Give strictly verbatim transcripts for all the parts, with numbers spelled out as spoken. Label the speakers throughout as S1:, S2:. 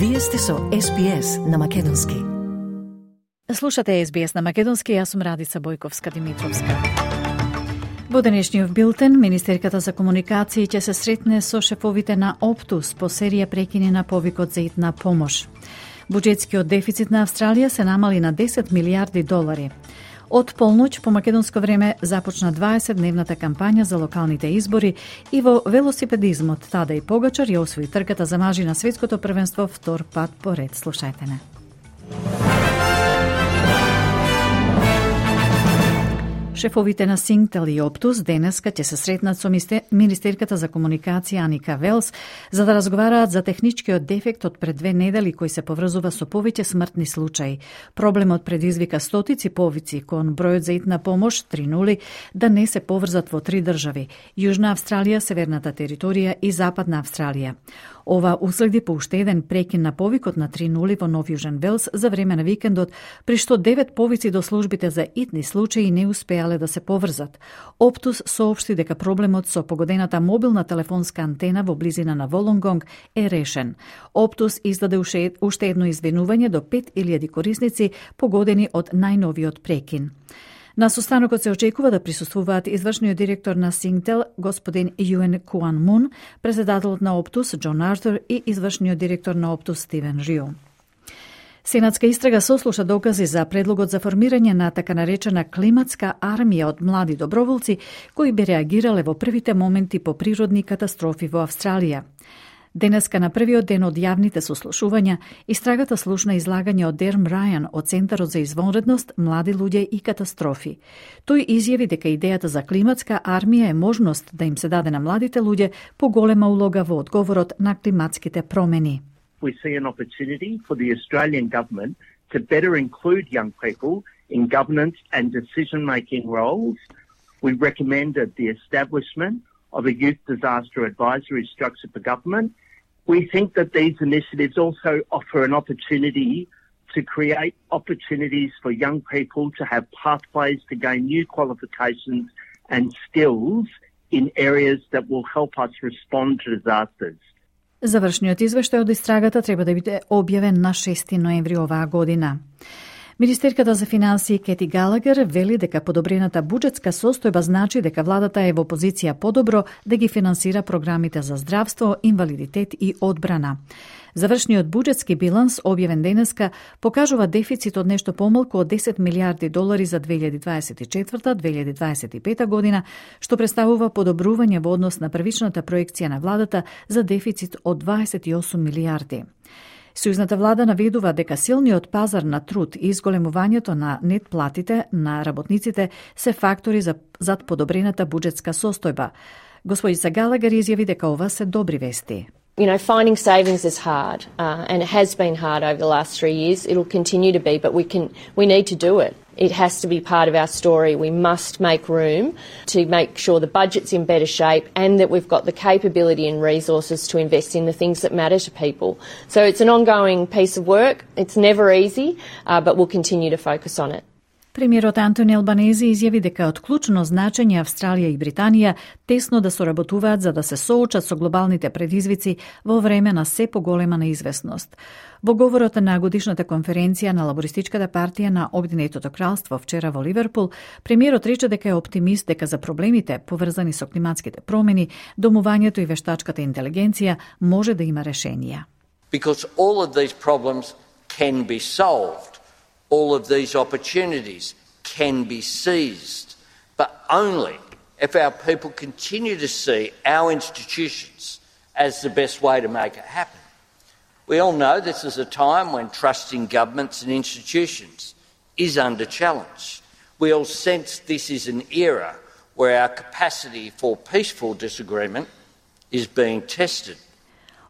S1: Вие сте со Ес Би Ес на Македонски.
S2: Слушате Ес Би Ес на Македонски, јас сум Радица Бојковска-Димитровска. Во денешниот билтен, Министерката за комуникации ќе се сретне со шефовите на Оптус по серија прекини на повикот за итна помош. Буџетскиот дефицит на Австралија се намали на десет милијарди долари. Од полноќ по македонско време започна дваесетдневната кампања за локалните избори и во велосипедизмот Тадеј Погачар ја освои трката за мажи на светското првенство втор пат поред. Слушајте не. Шефовите на Синктел и Оптус денеска ќе се сретнат со Министерката за комуникација Аника Велс за да разговараат за техничкиот дефект од пред две недели кој се поврзува со повеќе смртни случаи. Проблемот предизвика стотици повици кон бројот за итна помош три нула да не се поврзат во три држави: Јужна Австралија, Северната територија и Западна Австралија. Ова уследи по уште еден прекин на повикот на три нула во Нов Јужен Велс за време на викендот, при што девет повици до службите за итни случаи не успеале да се поврзат. Оптус соопшти дека проблемот со погодената мобилна телефонска антена во близина на Волонгонг е решен. Оптус издаде уште едно извинување до пет илјади корисници погодени од најновиот прекин. На состанокот се очекува да присуствуваат извршниот директор на Синктел, господин Юен Куан Мун, председателот на Оптус Џон Артур и извршниот директор на Оптус Стивен Рио. Сенатска истрага сослуша докази за предлогот за формирање на така наречена климатска армија од млади доброволци кои би реагирале во првите моменти по природни катастрофи во Австралија. Денеска на првиот ден од јавните сослушувања, истрагата слушна излагање од Дерм Рајан од Центарот за извонредност, млади луѓе и катастрофи. Тој изјави дека идејата за климатска армија е можност да им се даде на младите луѓе поголема улога во одговорот на климатските промени.
S3: We see an opportunity for the Australian government to better include young people in governance and decision-making roles. We recommended the establishment of a youth disaster advisory structure for government. We think that these initiatives also offer an opportunity to create opportunities for young people to have pathways to gain new qualifications and skills in areas that will help us respond to disasters.
S2: Завршниот извештај од истрагата треба да биде објавен на шести ноември оваа година. Министерката за финансии Кети Галагер вели дека подобрената буџетска состојба значи дека владата е во позиција подобро да ги финансира програмите за здравство, инвалидитет и одбрана. Завршниот буџетски биланс, објавен денеска, покажува дефицит од нешто помалку од десет милијарди долари за две илјади дваесет и четврта - две илјади дваесет и пета година, што представува подобрување во однос на првичната проекција на владата за дефицит од дваесет и осум милијарди. Сојузната влада наведува дека силниот пазар на труд и изголемувањето на нет платите на работниците се фактори за зад подобрената буџетска состојба. Господица Галагер изјави дека ова се добри вести.
S4: You know, finding savings is hard, uh, and it has been hard over the last three years. It'll continue to be, but we can, we need to do it. It has to be part of our story. We must make room to make sure the budget's in better shape and that we've got the capability and resources to invest in the things that matter to people. So it's an ongoing piece of work. It's never easy, uh, but we'll continue to focus on it.
S2: Премиерот Антони Албанези изјави дека од клучно значење Австралија и Британија тесно да соработуваат за да се соочат со глобалните предизвици во време на се поголема неизвестност. Во говорот на годишната конференција на Лабористичката партија на Обединетото кралство вчера во Ливерпул, премиерот рече дека е оптимист дека за проблемите поврзани со климатските промени, домувањето и вештачката интелигенција може да има решенија.
S5: Because all of these problems can be solved. All of these opportunities can be seized, but only if our people continue to see our institutions as the best way to make it happen. We all know this is a time when trust in governments and institutions is under challenge. We all sense this is an era where our capacity for peaceful disagreement is being tested.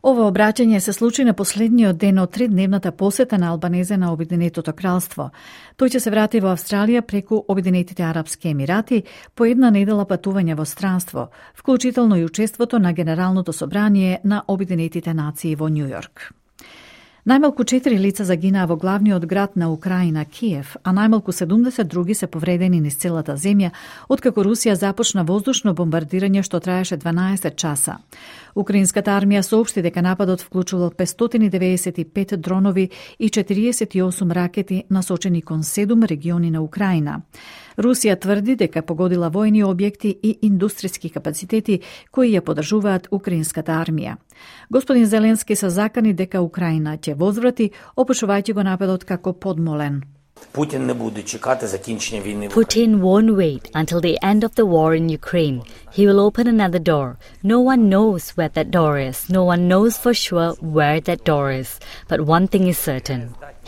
S2: Ова обраќање се случи на последниот ден од тридневната посета на Албанезе на Обединетото кралство. Тој ќе се врати во Австралија преку Обединетите арапски емирати по една недела патување во странство, вклучително и учеството на Генералното собрание на Обединетите нации во Њујорк. Најмалку четири лица загинаа во главниот град на Украина, Киев, а најмалку седумдесет други се повредени низ целата земја, откако Русија започна воздушно бомбардирање што траеше дванаесет часа. Украинската армија соопшти дека нападот вклучувал петстотини деведесет и пет дронови и четириесет и осум ракети насочени кон седум региони на Украина. Русија тврди дека погодила војни објекти и индустријски капацитети кои ја поддржуваат украинската армија. Господин Зеленски се закани дека Украина ќе возврати, опишувајќи го нападот како подмолен.
S6: Putin не буде чекати закінчення війни.
S7: Putin won't wait until the end of the war in Ukraine. He will open another door. No one knows where that door is. No one knows for sure where that door is. But one thing is certain.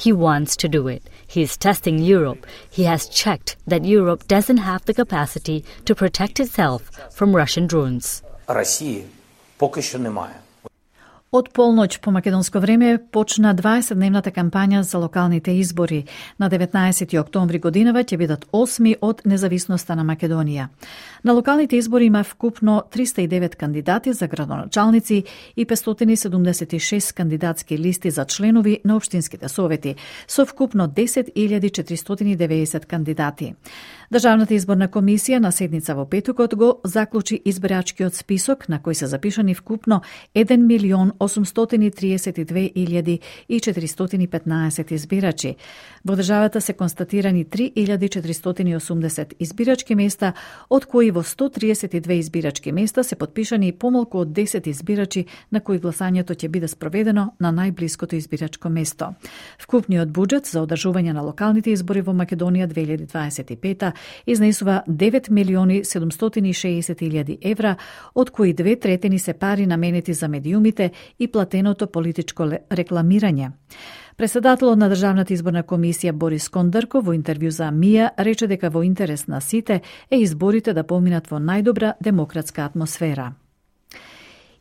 S7: He wants to do it. He is testing Europe. He has checked that Europe doesn't have the capacity to protect itself from Russian drones.
S6: Росії поки що немає.
S2: Од полноќ по македонско време почна дваесетдневната кампања за локалните избори. На деветнаесети октомври годинава ќе бидат осми од независноста на Македонија. На локалните избори има вкупно триста и девет кандидати за градоначалници и петстотини седумдесет и шест кандидатски листи за членови на општинските совети, со вкупно десет илјади четиристотини и деветдесет кандидати. Државната изборна комисија на седница во петокот го заклучи избирачкиот список на кој се запишани вкупно еден милион осумстотини триесет и две илјади и четиристотини и петнаесет избирачи. Во државата се констатирани три илјади четиристотини и осумдесет избирачки места, од кои во сто триесет и две избирачки места се потпишани помалку од десет избирачи на кои гласањето ќе биде спроведено на најблиското избирачко место. Вкупниот буџет за одржување на локалните избори во Македонија две илјади дваесет и пета изнесува девет милиони седумстотини и шеесет илјади евра, од кои две третини се пари наменети за медиумите и платеното политичко рекламирање. Председателот на Државната изборна комисија Борис Кондарко во интервју за МИА рече дека во интерес на сите е изборите да поминат во најдобра демократска атмосфера.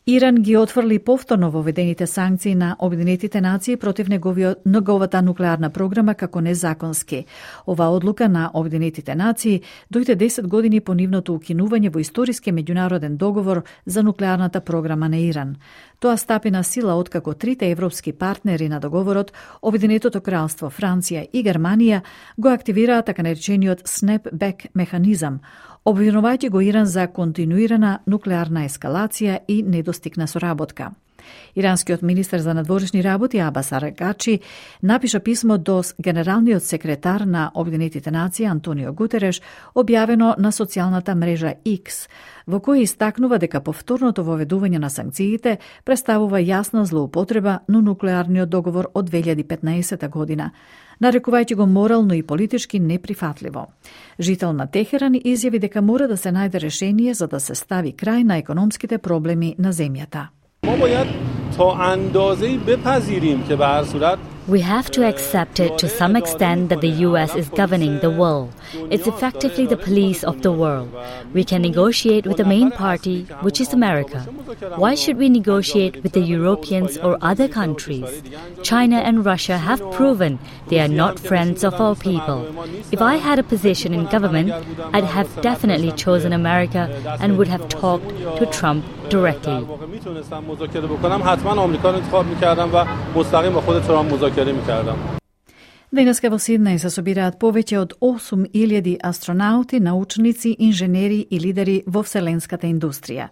S2: Иран ги отфрли повторно воведените санкции на Обединетите нации против неговата нуклеарна програма како незаконски. Ова одлука на Обединетите нации дојде десет години по нивното укинување во историски меѓународен договор за нуклеарната програма на Иран. Тоа стапи на сила откако трите европски партнери на договорот, Обединетото кралство, Франција и Германија, го активираа така наречениот snap-back механизам, обвинувајќи го Иран за континуирана нуклеарна ескалација и недостигна соработка. Иранскиот министер за надворешни работи Абас Аракачи напиша писмо до генералниот секретар на Обединетите нации Антонио Гутереш, објавено на социјалната мрежа X, во кој истакнува дека повторното воведување на санкциите представува јасна злоупотреба на нуклеарниот договор од две илјади и петнаесета година, нарекувајќи го морално и политички неприфатливо. Жител на Техеран изјави дека мора да се најде решение за да се стави крај на економските проблеми на земјата.
S7: We have to accept it to some extent that the U S is governing the world. It's effectively the police of the world. We can negotiate with the main party, which is America. Why should we negotiate with the Europeans or other countries? China and Russia have proven they are not friends of our people. If I had a position in government, I'd have definitely chosen America and would have talked to Trump directly.
S2: Денеска во Сиднеј се собираат повеќе од осум илјади астронаути, научници, инженери и лидери во вселенската индустрија.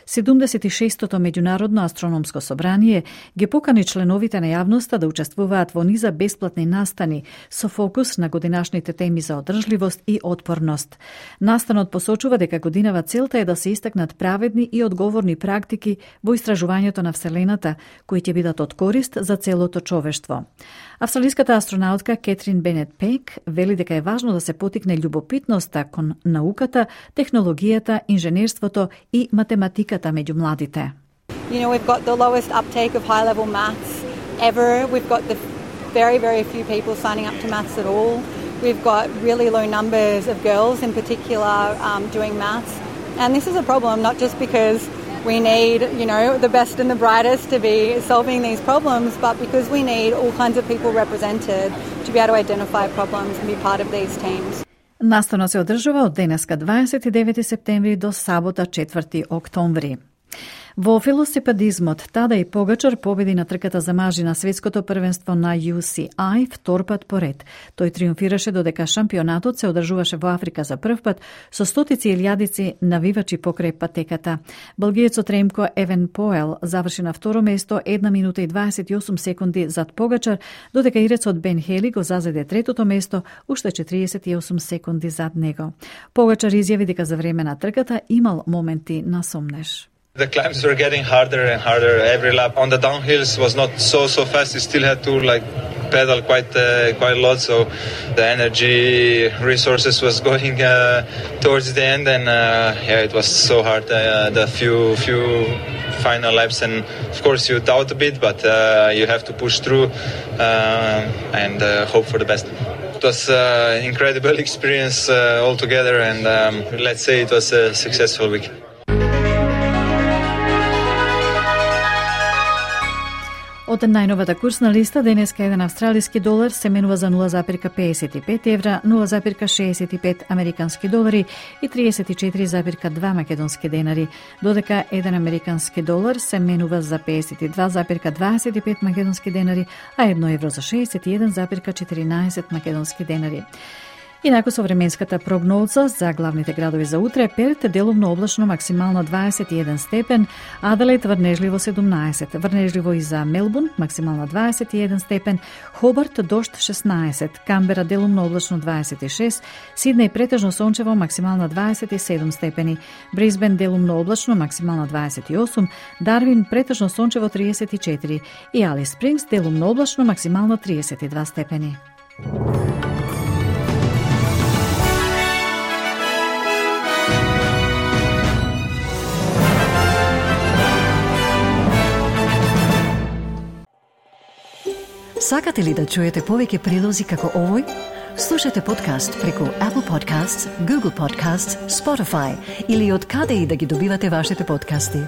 S2: седумдесет и шестото меѓународно астрономско собрание ги покани членовите на јавноста да учествуваат во низа бесплатни настани со фокус на годинашните теми за одржливост и отпорност. Настанот посочува дека годинава целта е да се истакнат праведни и одговорни практики во истражувањето на вселената, кои ќе бидат од корист за целото човештво. Австралиската астронаутка Кетрин Бенет Пек вели дека е важно да се потикне љубопитноста кон науката, технологијата, инженерството и математиката меѓу младите.
S8: You know, we've got the lowest uptake of high-level maths ever. We've got the very, very few people signing up to maths at all. We've got really low numbers of girls in particular um, doing maths. And this is a problem, not just because we need, you know, the best and the brightest to be solving these problems, but because we need all kinds of people represented to be able to identify problems and be part of these teams.
S2: Настанот се одржува од денеска дваесет и девети септември до сабота четврти октомври. Во велосипедизмот, Тадеј Погачар победи на трката за мажи на светското првенство на Ю Си Ај втор пат поред. Тој триумфираше додека шампионатот се одржуваше во Африка за прв пат со стотици илјадици навивачи покрај патеката. Белгиецот Ремко Евенпоел заврши на второ место една минута и дваесет и осум секунди зад Погачар, додека ирецот Бен Хели го зазеде третото место уште четириесет и осум секунди зад него. Погачар изјави дека за време на трката имал моменти на сомнеж.
S9: The climbs were getting harder and harder every lap. On the downhills was not so so fast. You still had to like pedal quite uh, quite a lot. So the energy resources was going uh, towards the end, and uh, yeah, it was so hard. Uh, the few few final laps, and of course you doubt a bit, but uh, you have to push through uh, and uh, hope for the best. It was an uh, incredible experience uh, altogether, and um, let's say it was a successful week.
S2: Од најновата курсна листа, денеска еден австралиски долар се менува за нула запирка педесет и пет евра, нула запирка шеесет и пет американски долари и триесет и четири запирка два македонски денари, додека еден американски долар се менува за педесет и два запирка дваесет и пет македонски денари, а едно евро за шеесет и еден запирка четиринаесет македонски денари. Инаку со временската прогноза за главните градови за утре: Перт делумно облачно, максимално дваесет и еден степен, Аделаид врнежливо седумнаесет, врнежливо и за Мелбурн, максимално дваесет и еден степен, Хобарт дожд шеснаесет, Камбера делумно облачно дваесет и шест, Сиднеј претежно сончево, максимално дваесет и седум степени, Брисбен делумно облачно, максимално дваесет и осум, Дарвин претежно сончево триесет и четири и Алис Спрингс делумно облачно, максимално триесет и два степени.
S1: Сакате ли да чуете повеќе прилози како овој? Слушате подкаст преку Apple Podcasts, Google Podcasts, Spotify или од каде и да ги добивате вашите подкасти.